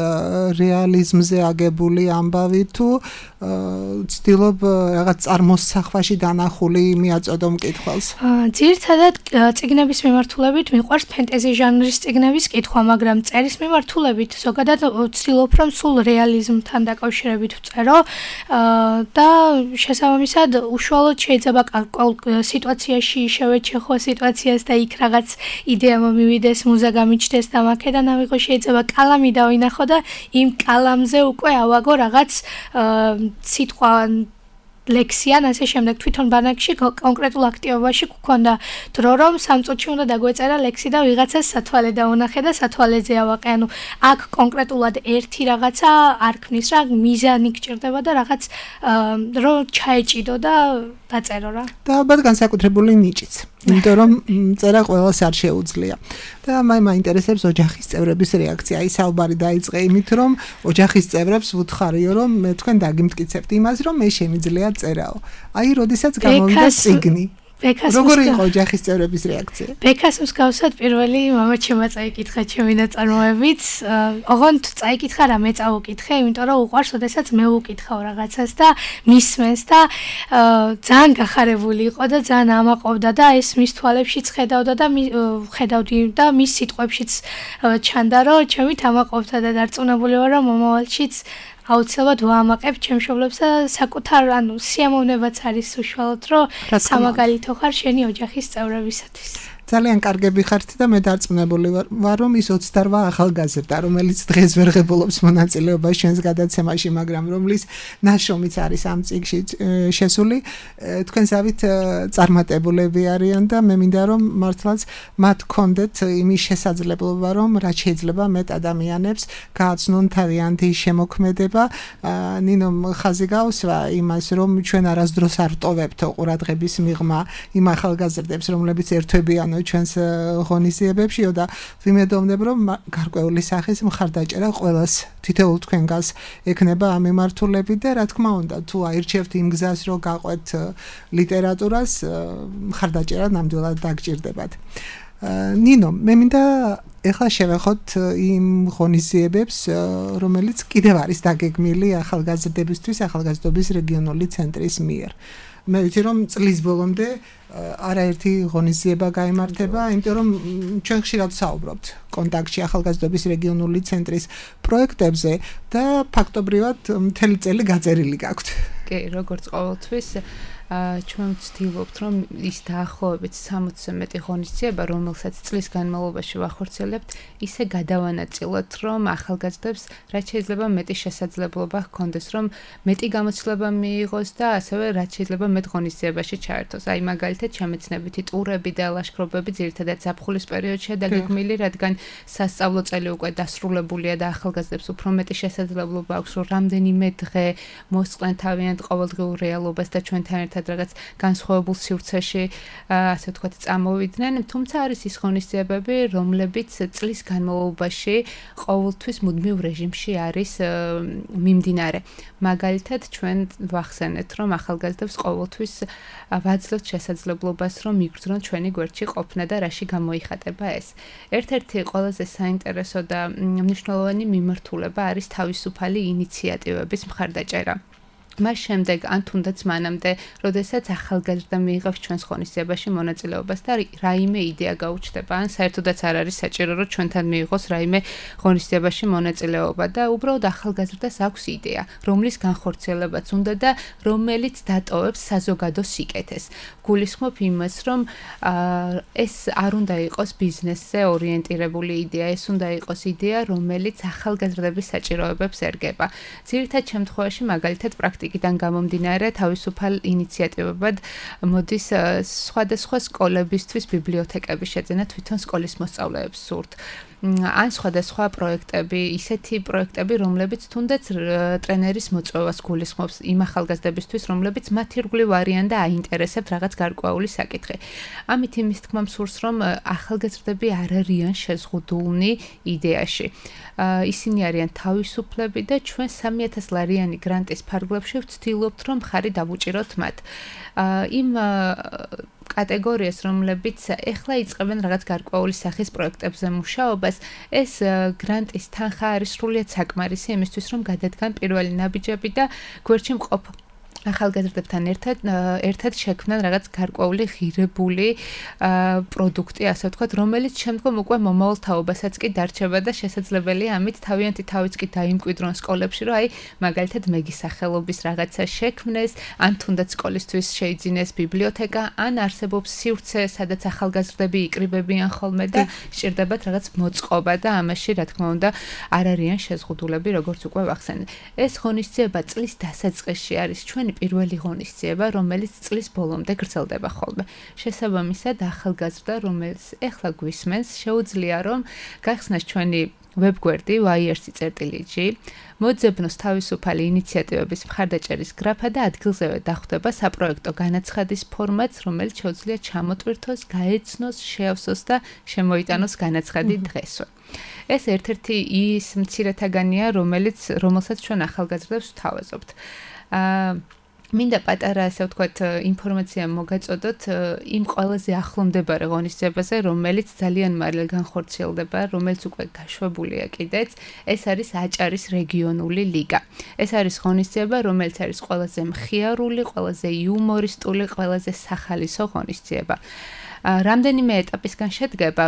რეალიზმზე აგებული ამბავი თუ ცდილობ რაღაც წარმოსახვაში დანახული მიაწოდო მკითხველს? ძირითადად წიგნების მიმართულებით მიყვარს ფენტეზი ჟანრის წიგნების კითხვა, მაგრამ წერის მიმართულებით ზოგადად ვცდილობ, რომ სულ რეალიზმთან დაკავშირებით ვწერო და შესაბამისად უშუალოდ შეიძლება სიტუაციაში შევეჩეხო სიტუაციას და იქ რაღაც იდეა მომივიდეს, მუზა გამიჩნდეს და მაქედან ავიღო, შეიძლება კალამი დავინახო და იმ კალამზე უკვე ავაგო რაღაც სიტყვა ლექსიან, ასე შემდეგ თვითონ ბანაკში კონკრეტულ აქტივობაში გქონდა დრო, რომ 3 წუთში უნდა დაგვეწერა ლექსი და ვიღაცას სათვალე დაუნახე და სათვალეზე ავაყე. ანუ აქ კონკრეტულად ერთი რაღაცა არ ქმნის რა, მიზანი გჭირდება და რაღაც რომ ჩაეჭიდო და დაწერო რა. და ალბათ განსაკუთრებული ნიჭიც. იმიტომ რომ წერა ყველას არ შეუძლია. და მაინტერესებს ოჯახის წევრების რეაქცია. აი საუბარი დაიწყე იმით, რომ ოჯახის წევრებს ვუთხარიო, რომ მე თქვენ დაგიმტკიცებთ იმას, რომ მე შემიძლია წერაო. აი, როდესაც გამოვიდა წიგნი. როგორი იყო ოჯახის წევრების რეაქცია? ბექას მსგავსად პირველი მამაჩემმა წაიკითხა ჩემი ნაწარმოებიც. ოღონდ წაიკითხა რა, მე წავუკითხე, იმიტომ რომ უყვარს, ოდესაც მე ვუკითხავ რაღაცას და მისმენს და ძალიან გახარებული იყო და ძალიან ამაყობდა და ეს მის თვალებშიც ხედავდი და მის სიტყვებშიც ჩანდა, რომ ჩემით ამაყობდა და დარწმუნებული ვარ, რომ მომავალშიც აუცილებლად ვაამაყებ ჩემშობლებს და საკუთარ სიამოვნებაც არის უშუალოდ, რომ სამაგალითო ხარ შენი ოჯახის წევრებისათვის. ძალიან კარგები ხართ და მე დარწმუნებული ვარ, რომ ის 28 ახალგაზრდა, რომელიც დღეს ვერ ღებულობს მონაწილეობას ჩვენს გადაცემაში, მაგრამ რომლის ნაშრომიც არის ამ წიგნში შესული, თქვენ ზავით წარმატებულები არიან და მე მინდა რომ მართლაც მათ გქონდეთ იმის შესაძლებლობა, რომ რაც შეიძლება მეტ ადამიანებს გააცნონ თავიანთი შემოქმედება. ნინომ ხაზი გავსვა იმას, რომ ჩვენ არასდროს არ ვტოვებთ ყურადღების მიღმა იმ ახალგაზრდებს, რომლებიც ერთვებიანო ჩვენს ღონისძიებებში და ვიმედოვნებ, რომ გარკვეული სახის მხარდაჭერა ყველას თითოეულ თქვენგანს ექნება ამ მიმართულებით და რა თქმა უნდა, თუ აირჩევთ იმ გზას, რომ გაყვეთ ლიტერატურას, მხარდაჭერა ნამდვილად დაგჭირდებათ. ნინო, მე მინდა ეხლა შევეხოთ იმ ღონისძიებებს, რომელიც კიდევ არის დაგეგმილი ახალგაზრდებისთვის ახალგაზრდობის რეგიონული ცენტრის მიერ. მე ვიცი რომ წლის ბოლომდე არაერთი ღონისძიება გაიმართება, იმიტომ რომ ჩვენ ხშირად საუბრობთ კონტაქტში ახალგაზრდობის რეგიონული ცენტრის პროექტებზე და ფაქტობრივად მთელი წელი გაწერილი გაქვთ. კი, როგორც ყოველთვის ჩვენ ვცდილობთ, რომ ის დაახლოებით 60-ზე მეტი ღონისძიება, რომელსაც წლის განმავლობაში ვახორციელებთ, ისე გადავანაწილოთ, რომ ახალგაზრდებს რაც შეიძლება მეტი შესაძლებლობა ჰქონდეს, რომ მეტი გამოცდილება მიიღოს და ასევე რაც შეიძლება მეტ ღონისძიებაში ჩაერთოს. აი მაგალითად, შემეცნებითი ტურები და ლაშქრობები ძირითადად ზაფხულის პერიოდშია დაგეგმილი, რადგან სასწავლო წელი უკვე დასრულებულია და ახალგაზრდებს უფრო მეტი შესაძლებლობა აქვს, რომ რამდენიმე დღე მოსწყენ თავიანთ ყოველდღიურ რეალობას და ჩვენთან ერთად რაღაც განსხვავებულ სივრცეში, ასე ვთქვათ, წამოვიდნენ, თუმცა არის ის ღონისძიებები, რომლებიც წლის განმავლობაში ყოველთვის მუდმივ რეჟიმში არის მიმდინარე. მაგალითად, ჩვენ ვახსენეთ, რომ ახალგაზრდებს ყოველთვის ვაძლევთ შესაძლებლობას, რომ მიგრძნონ ჩვენი გვერდში ყოფნა და რაში გამოიხატება ეს. ერთ-ერთი ყველაზე საინტერესო და მნიშვნელოვანი მიმართულება არის თავისუფალი ინიციატივების მხარდაჭერა. მას შემდეგ ან თუნდაც მანამდე, როდესაც ახალგაზრდა მიიღებს ჩვენს ღონისძიებაში მონაწილეობას და რაიმე იდეა გაუჩნდება, ან საერთოდაც არ არის საჭირო, რომ ჩვენთან მიიღოს რაიმე ღონისძიებაში მონაწილეობა და უბრალოდ ახალგაზრდას აქვს იდეა, რომლის განხორციელებაც უნდა და რომელიც დატოვებს საზოგადო სიკეთეს. გულისხმობ იმას, რომ ეს არ უნდა იყოს ბიზნესზე ორიენტირებული იდეა, ეს უნდა იყოს იდეა, რომელიც ახალგაზრდების საჭიროებებს ერგება. ძირითად შემთხვევაში მაგალითად პრაქტიკიდან გამომდინარე თავისუფალ ინიციატივებად მოდის სხვადასხვა სკოლებისთვის ბიბლიოთეკების შეძენა თვითონ სკოლის მოსწავლეებს სურთ. ან სხვადასხვა პროექტები, ისეთი პროექტები, რომლებიც თუნდაც ტრენერის მოწვევას გულისხმობს იმ ახალგაზრდებისთვის, რომლებიც მათ ირგვლივ არიან და აინტერესებთ რაღაც გარკვეული საკითხი. ამით იმის თქმა მსურს, რომ ახალგაზრდები არ არიან შეზღუდულნი იდეაში. ისინი არიან თავისუფლები და ჩვენ 3000 ლარიანი გრანტის ფარგლებში ვცდილობთ, რომ მხარი დავუჭიროთ მათ. იმ კატეგორიას, რომლებიც ეხლა იწყებენ რაღაც გარკვეული სახის პროექტებზე მუშაობას, ეს გრანტის თანხა არის სრულიად საკმარისი იმისთვის, რომ გადადგან პირველი ნაბიჯები და გვერდში მყოფ ახალგაზრდებთან ერთად შექმნან რაღაც გარკვეული ღირებული პროდუქტი, ასე ვთქვათ, რომელიც შემდგომ უკვე მომავალ თაობასაც კი დარჩება და შესაძლებელია ამით თავიანთი თავიც კი დაიმკვიდრონ სკოლებში, რომ აი მაგალითად მეგის სახელობის რაღაცა შექმნეს, ან თუნდაც სკოლისთვის შეიძინეს ბიბლიოთეკა, ან არსებობს სივრცე, სადაც ახალგაზრდები იკრიბებიან ხოლმე და სჭირდებათ რაღაც მოწყობა და ამაში, რა თქმა უნდა, არ არიან შეზღუდულები, როგორც უკვე ვახსენე. ეს ღონისძიება წლის დასაწყისში არის ჩვენი პირველი ღონისძიება, რომელიც წლის ბოლომდე გრძელდება ხოლმე. შესაბამისად, ახალგაზრდა, რომელიც ეხლა გვისმენს, შეუძლია რომ გახსნას ჩვენი ვებგვერდი YRC.GG, მოძებნოს თავისუფალი ინიციატივების მხარდაჭერის გრაფა და ადგილზევე დახვდება საპროექტო განაცხადის ფორმატს, რომელიც შეუძლია ჩამოტვირთოს, გაეცნოს, შეავსოს და შემოიტანოს განაცხადი დღესვე. ეს ერთ-ერთი ის მცირეთაგანია, რომელსაც ჩვენ ახალგაზრდებს ვთავაზობთ. მინდა პატარა, ასე ვთქვათ, ინფორმაცია მოგაწოდოთ იმ ყველაზე ახლომდებარე ღონისძიებაზე, რომელიც ძალიან მალე განხორციელდება, რომელიც უკვე გაშვებულია კიდეც, ეს არის აჭარის რეგიონული ლიგა. ეს არის ღონისძიება, რომელიც არის ყველაზე მხიარული, ყველაზე იუმორისტული, ყველაზე სახალისო ღონისძიება. რამდენიმე ეტაპისგან შედგება,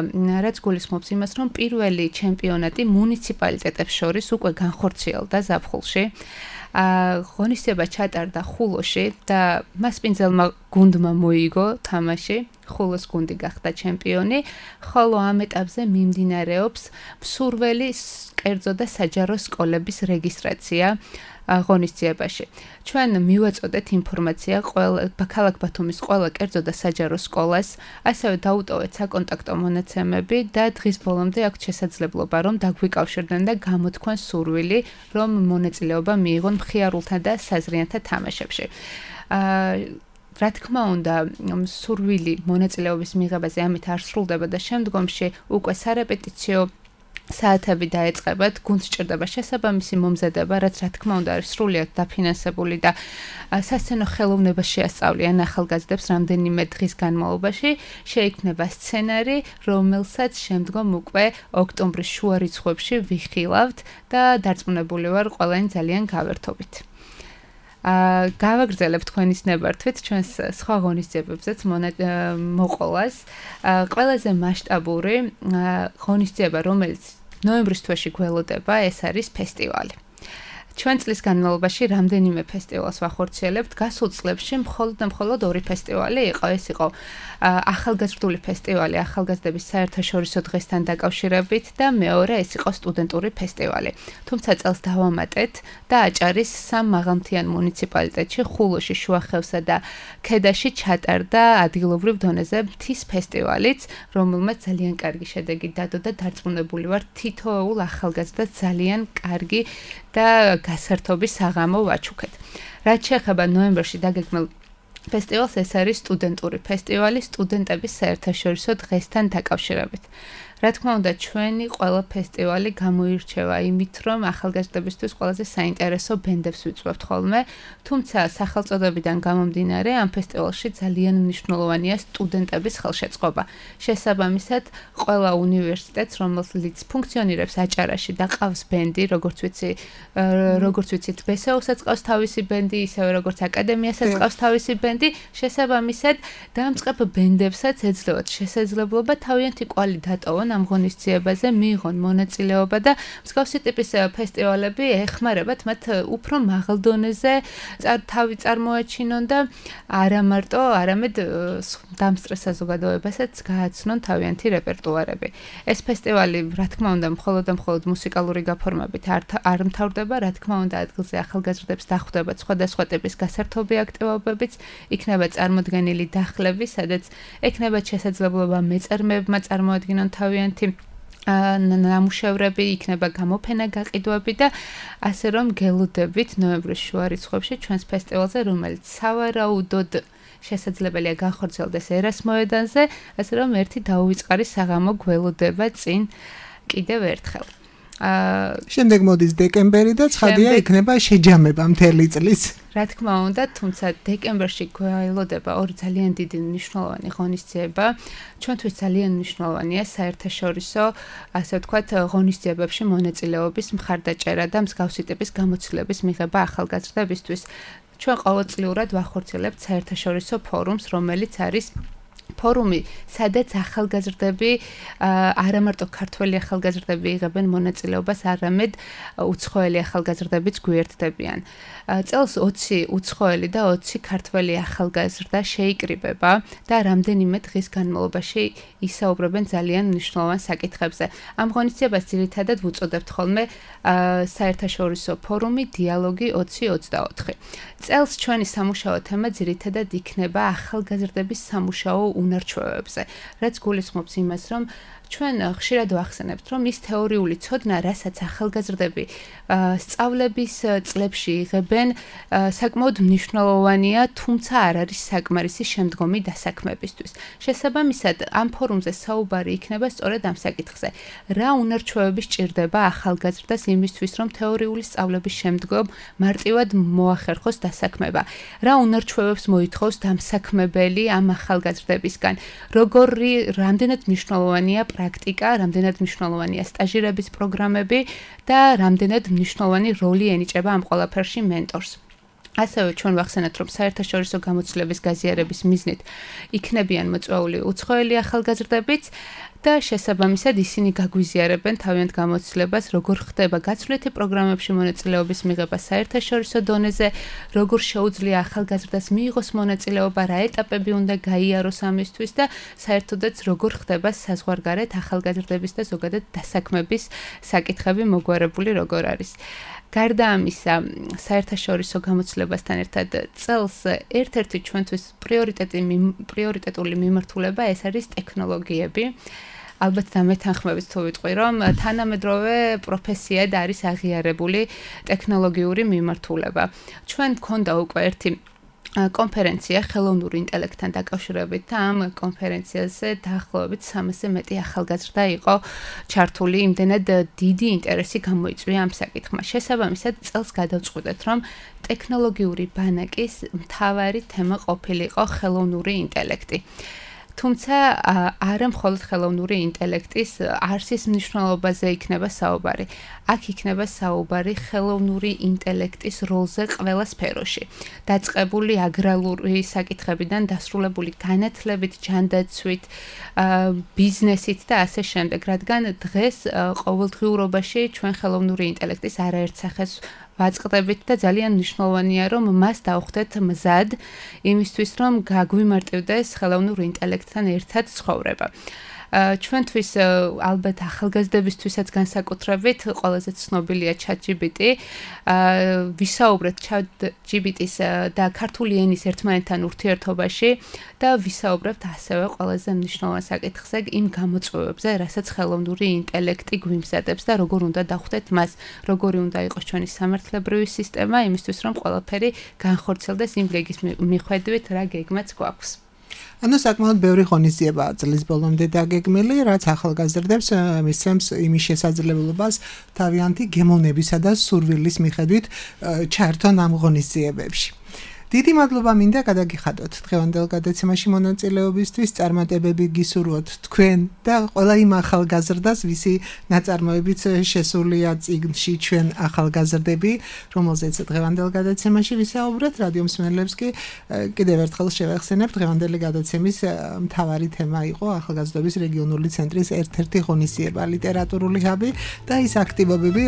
რაც გულისხმობს იმას, რომ პირველი ჩემპიონატი მუნიციპალიტეტებს შორის უკვე განხორციელდა ზაფხულში. ღონისძიება ჩატარდა ხულოში და მას პინძელმა გუნდმა მოიგო თამაში. ხულოს გუნდი გახდა ჩემპიონი, ხოლო ამ ეტაპზე მიმდინარეობს მსურველი კერძო და საჯარო სკოლების რეგისტრაცია ღონისძიებაში. ჩვენ მივაწოდეთ ინფორმაცია ქალაქ ბათუმის ყველა კერძო და საჯარო სკოლას, ასევე დაუტოვეთ საკონტაქტო მონაცემები და დღის ბოლომდე აქვს შესაძლებლობა, რომ დაგვიკავშირდნენ და გამოთქვან სურვილი, რომ მონაწილეობა მიიღონ მხიარულთა და საზრიანთა თამაშებში. რა თქმა უნდა, სურვილი მონაწილეობის მიღებაზე ამით არ სრულდება და შემდგომში უკვე სარეპეტიციო საათები დაეწყებათ, გუნდს ჭირდება შესაბამისი მომზადება, რაც რა თქმა უნდა არის სრულიად დაფინანსებული და სასცენო ხელოვნება შეასწავლიან ახალგაზრდებს რამდენიმე დღის განმავლობაში, შეიქმნება სცენარი, რომელსაც შემდგომ უკვე ოქტომბრის შუა რიცხვებში ვიხილავთ და დარწმუნებული ვარ, ყველანი ძალიან გავერთობით. გავაგრძელებ თქვენის ნებართვით ჩვენს სხვა ღონისძიებებზეც მოყოლას. ყველაზე მასშტაბური ღონისძიება, რომელიც ნოემბრის თვეში გველოდება, ეს არის ფესტივალი. ჩვენ წლის განმავლობაში რამდენიმე ფესტივალს ვახორციელებთ. გასულ წლებში მხოლოდ 2 ფესტივალი იყო. ეს იყო ახალგაზრდული ფესტივალი ახალგაზრდების საერთაშორისო დღესთან დაკავშირებით და მეორე ეს იყო სტუდენტური ფესტივალი. თუმცა წელს დავამატეთ და აჭარის 3 მაღალმთიან მუნიციპალიტეტში, ხულოში, შუახევსა და ქედაში ჩატარდა ადგილობრივ დონეზე მთის ფესტივალიც, რომელმაც ძალიან კარგი შედეგი დადო და დარწმუნებული ვარ, თითოეულ ახალგაზრდას ძალიან კარგი და გასართობი საღამო ვაჩუქეთ. რაც შეეხება ნოემბერში დაგეგმილ ფესტივალს, ეს არის სტუდენტური ფესტივალი სტუდენტების საერთაშორისო დღესთან დაკავშირებით. რა თქმა უნდა, ჩვენი ყველა ფესტივალი გამოირჩევა იმით, რომ ახალგაზრდებისთვის ყველაზე საინტერესო ბენდებს ვიწვევთ ხოლმე, თუმცა სახელწოდებიდან გამომდინარე, ამ ფესტივალში ძალიან მნიშვნელოვანია სტუდენტების ხელშეწყობა. შესაბამისად, ყველა უნივერსიტეტს, რომელიც ფუნქციონირებს აჭარაში და ყავს ბენდი, როგორც ვიცით, ბესეუსაც ყავს თავისი ბენდი, ისევე როგორც აკადემიასაც ყავს თავისი ბენდი, შესაბამისად, დამწყებ ბენდებსაც ეძლევათ შესაძლებლობა თავიანთი კვალი დატოვონ ამ ღონისძიებაზე, მიიღონ მონაწილეობა და მსგავსი ტიპის ფესტივალები ეხმარებათ მათ უფრო მაღალ დონეზე თავი წარმოაჩინონ და არა მარტო, არამედ დამსწრე საზოგადოებასაც გააცნონ თავიანთი რეპერტუარები. ეს ფესტივალი, რა თქმა უნდა, მხოლოდ მუსიკალური გაფორმებით არ მთავრდება, რა თქმა უნდა, ადგილზე ახალგაზრდებს დახვდებათ სხვადასხვა ტიპის გასართობი აქტივობებიც, იქნება წარმოდგენილი დახლები, სადაც ექნება შესაძლებლობა მეწარმეებმა წარმოადგინონ თავიანთი ნამუშევრები, იქნება გამოფენა გაყიდვები და ასე რომ გელოდებით ნოემბრის შუა რიცხვებში ჩვენს ფესტივალზე, რომელიც სავარაუდოდ შესაძლებელია განხორციელდეს ერას მოედანზე, ასე რომ ერთი დაუვიწყარი საღამო გველოდება წინ კიდევ ერთხელ. შემდეგ მოდის დეკემბერი და ცხადია იქნება შეჯამება მთელი წლის. რა თქმა უნდა, თუმცა დეკემბერში გველოდება 2 ძალიან დიდი მნიშვნელოვანი ღონისძიება. ჩვენთვის ძალიან მნიშვნელოვანია საერთაშორისო, ასე ვთქვათ, ღონისძიებებში მონაწილეობის მხარდაჭერა და მსგავსი ტიპის გამოცდილების მიღება ახალგაზრდებისთვის. ჩვენ ყოველწლიურად ვახორციელებთ საერთაშორისო ფორუმს, რომელიც არის ფორუმი, სადაც ახალგაზრდები, არა მარტო ქართველი ახალგაზრდები იღებენ მონაწილეობას, არამედ უცხოელი ახალგაზრდებიც გვიერთდებიან. წელს 20 უცხოელი და 20 ქართველი ახალგაზრდა შეიკრიბება და რამდენიმე დღის განმავლობაში ისაუბრებენ ძალიან მნიშვნელოვან საკითხებზე. ამ ღონისძიებას ძირითადად ვუწოდებთ ხოლმე საერთაშორისო ფორუმი დიალოგი 2024. წელს ჩვენი სამუშაო თემა ძირითადად იქნება ახალგაზრდების სამუშაო უნარჩვევებზე, რაც გულისხმობს იმას, რომ ჩვენ ხშირად ვახსენებთ, რომ ის თეორიული ცოდნა, რასაც ახალგაზრდები სწავლების წლებში იღებენ, საკმაოდ მნიშვნელოვანია, თუმცა არ არის საკმარისი შემდგომი დასაქმებისთვის. შესაბამისად, ამ ფორუმზე საუბარი იქნება სწორედ ამ საკითხზე. რა უნარჩვევები სჭირდება ახალგაზრდას იმისთვის, რომ თეორიული სწავლების შემდგომ მარტივად მოახერხოს დასაქმება? რა უნარჩვევებს მოითხოვს დამსაქმებელი ამ ახალგაზრდებისგან? რამდენად მნიშვნელოვანია პრაქტიკა, რამდენად მნიშვნელოვანია სტაჟირების პროგრამები და რამდენად მნიშვნელოვანი როლი ენიჭება ამ ყველაფერში მენტორს. ასევე ჩვენ ვახსენეთ, რომ საერთაშორისო გამოცდილების გაზიარების მიზნით იქნებიან მოწვეული უცხოელი ახალგაზრდებიც და შესაბამისად ისინი გაგვიზიარებენ თავიანთ გამოცდილებას, როგორ ხდება გაცვლითი პროგრამებში მონაწილეობის მიღება საერთაშორისო დონეზე, როგორ შეუძლია ახალგაზრდას მიიღოს მონაწილეობა, რა ეტაპები უნდა გაიაროს ამისთვის და საერთოდაც როგორ ხდება საზღვარგარეთ ახალგაზრდების და ზოგადად დასაქმების საკითხები მოგვარებული როგორ არის. გარდა ამისა, საერთაშორისო გამოცდილებასთან ერთად წელს ერთ-ერთი ჩვენთვის პრიორიტეტული მიმართულება ეს არის ტექნოლოგიები. ალბათ დამეთანხმებით თუ ვიტყვი, რომ თანამედროვე პროფესიად არის აღიარებული ტექნოლოგიური მიმართულება. ჩვენ გქონდა უკვე ერთი კონფერენცია ხელოვნური ინტელექტთან დაკავშირებით და ამ კონფერენციაზე დაახლოებით 300-ზე მეტი ახალგაზრდა იყო ჩართული, იმდენად დიდი ინტერესი გამოიწვია ამ საკითხმა. შესაბამისად, წელს გადავწყვიტეთ, რომ ტექნოლოგიური ბანაკის მთავარი თემა ყოფილიყო ხელოვნური ინტელექტი. თუმცა არა მხოლოდ ხელოვნური ინტელექტის არსის მნიშვნელობაზე იქნება საუბარი. აქ იქნება საუბარი ხელოვნური ინტელექტის როლზე ყველა სფეროში. დაწყებული აგრარული საკითხებიდან დასრულებული განათლებით, ჯანდაცვით, ბიზნესით და ასე შემდეგ, რადგან დღეს ყოველდღიურობაში ჩვენ ხელოვნური ინტელექტის არაერთ სახეს ვაწყდებით და ძალიან მნიშვნელოვანია, რომ მას დავხვდეთ მზად იმისთვის, რომ გაგვიმარტივდეს ხელოვნურ ინტელექტთან ერთად ცხოვრება. ჩვენთვის ალბათ ახალგაზრდებისთვისაც განსაკუთრებით ყველაზე ცნობილია ChatGPT. ვისაუბრეთ ChatGPT-ის და ქართული ენის ერთმანეთთან ურთიერთობაში და ვისაუბრებთ ასევე ყველაზე მნიშვნელოვან საკითხზე, იმ გამოწვევებზე, რასაც ხელოვნური ინტელექტი გვიმზადებს და როგორ უნდა დავხვდეთ მას, როგორი უნდა იყოს ჩვენი სამართლებრივი სისტემა, იმისთვის რომ ყველაფერი განხორციელდეს იმ გეგმის მიხედვით, რა გეგმაც გვაქვს. ანუ საკმაოდ ბევრი ღონისძიებაა წლის ბოლომდე დაგეგმილი, რაც ახალგაზრდებს მისცემს იმის შესაძლებლობას თავიანთი გემოვნებისა და სურვილის მიხედვით ჩართონ ამ ღონისძიებებში. დიდი მადლობა მინდა გადაგიხადოთ დღევანდელ გადაცემაში მონაწილეობისთვის, წარმატებები გისურვოთ თქვენ და ყველა იმ ახალგაზრდას, ვისი ნაწარმოებიც შესულია წიგნში ჩვენ ახალგაზრდები, რომელზეც დღევანდელ გადაცემაში ვისაუბრეთ. რადიო მსმენელებს კი კიდევ ერთხელ შევახსენებ, დღევანდელი გადაცემის მთავარი თემა იყო ახალგაზრდობის რეგიონული ცენტრის ერთ-ერთი ღონისძიება, ლიტერატურული ჰაბი და ის აქტივობები,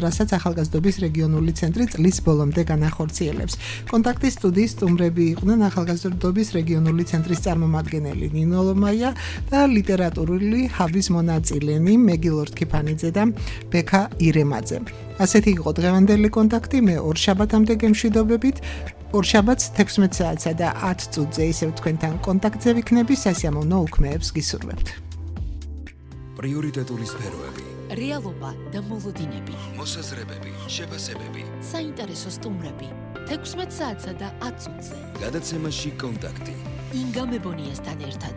რასაც ახალგაზრდობის რეგიონული ცენტრი წლის ბოლომდე განახორციელებს. კონტაქტის სტუდიის სტუმრები იყვნენ ახალგაზრდობის რეგიონული ცენტრის წარმომადგენელი ნინო ლომაია და ლიტერატურული ჰაბის მონაწილენი მეგილ ორთქიფანიძე და ბექა ირემაძე. ასეთი იყო დღევანდელი კონტაქტი, მე ორ შაბათამდე გემშვიდობებით. ორ შაბათს 16 საათსა და 10 წუთზე ისევ თქვენთან კონტაქტზე ვიქნები, სასიამოვნო უქმეებს გისურვებთ. პრიორიტეტული სფეროები, რეალობა და მოლოდინები, მოსაზრებები, შეფასებები, საინტერესო სტუმრები 16 საათსა და 10 წუთზე. გადაცემაში კონტაქტი. ინგა მებონიასთან ერთად.